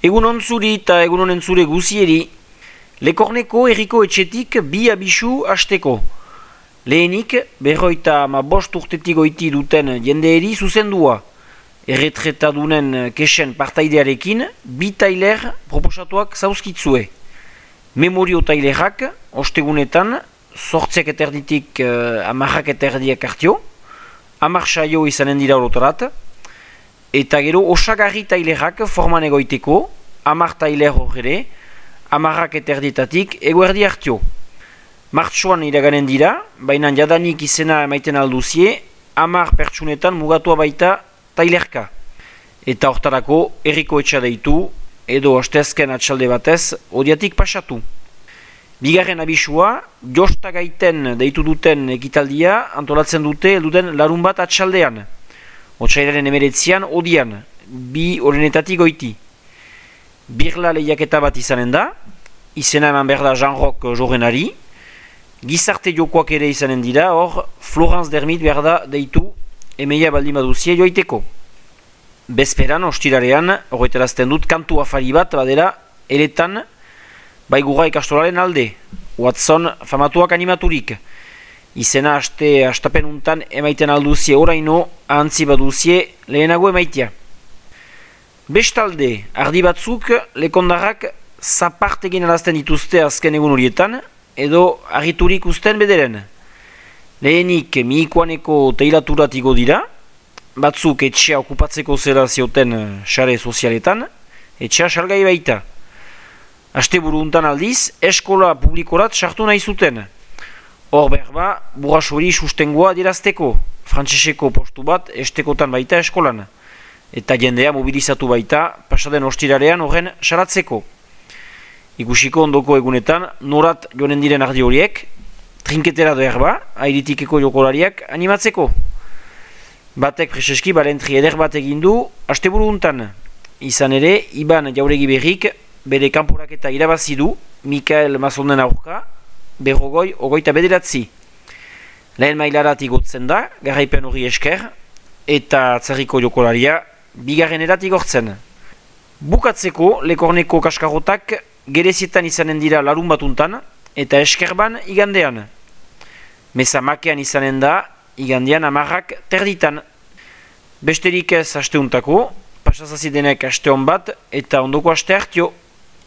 Egun ontzuri eta egun honen zure guzieri, Lekorneko herriko etxetik bi abisu hasteko. Lehenik, 55 urtetik goiti duten jendeeri zuzendua. Erretretadunen kesen partaidearekin, bi tailer proposatuak zauzkitzue. Memorio tailerak, ostegunetan, 8 eterditik 10 eterdiak hartio, 10 saio izanen dira orotarat, eta gero osagarri tailerak forman egoiteko, 10 tailer horre, 10 eterdietatik eguerdi hartio. Martxoan iraganen dira, baina jadanik izena emaiten alduzie, 10 pertsunetan mugatua baita tailerka. Eta hortarako herriko etxa deitu, edo asteazken atxalde batez, odiatik pasatu. Bigarren abisua, josta gaiten deitu duten ekitaldia antolatzen dute elduden larun bat atxaldean. Otsailaren 19an odian, bi orenetatik goiti. Birla lehiaketa bat izanen da, izena eman behar da Jean-Roch Jorenari, gizarte jokoak ere izanen dira, hor Florence Dermit behar da deitu emeia baldin baduzie joaiteko. Bezperan, ostirarean, horretarazten dut kantu afari bat badera eretan baigura ikastolaren alde, Watson famatuak animaturik. Izena astapen untan emaiten alduzie oraino, ahantzi baduzie lehenago emaitia. Bestalde, ardi batzuk lekondarrak zapart egin alazten dituzte azken egun horietan, edo argiturik usten bederen. Lehenik miikoaneko teilaturat igo dira, batzuk etxea okupatzeko zera zioten sare sozialetan, etxea salgai baita. Asteburu untan aldiz, eskola publikorat sartu nahi zuten. Hor berba, burrasori sustengoa dirazteko, frantseseko postu bat estekotan baita eskolan. Eta jendea mobilizatu baita, pasaden ostirarean horren salatzeko. Ikusiko ondoko egunetan, norat joanen diren ardi horiek, trinketera doerba, airitikeko jokolariak animatzeko. Batek preseski balentri eder bat egindu, asteburu untan. Izan ere, Iban Jauregi Berrik, bere kanporaketa irabazi du, Mikael Mazonden aurka, 59 Lehen mailarat igotzen da, garaipen hori esker, eta atzarriko jokolaria, bigarren erat igortzen. Bukatzeko, Lekorneko kaskarrotak gerezietan izanen dira larun batuntan, eta eskerban igandean. Meza makean izanen da, igandean 10 terditan. Besterik ez asteuntako, pasazazidenek aste hon bat, eta ondoko aste hartio.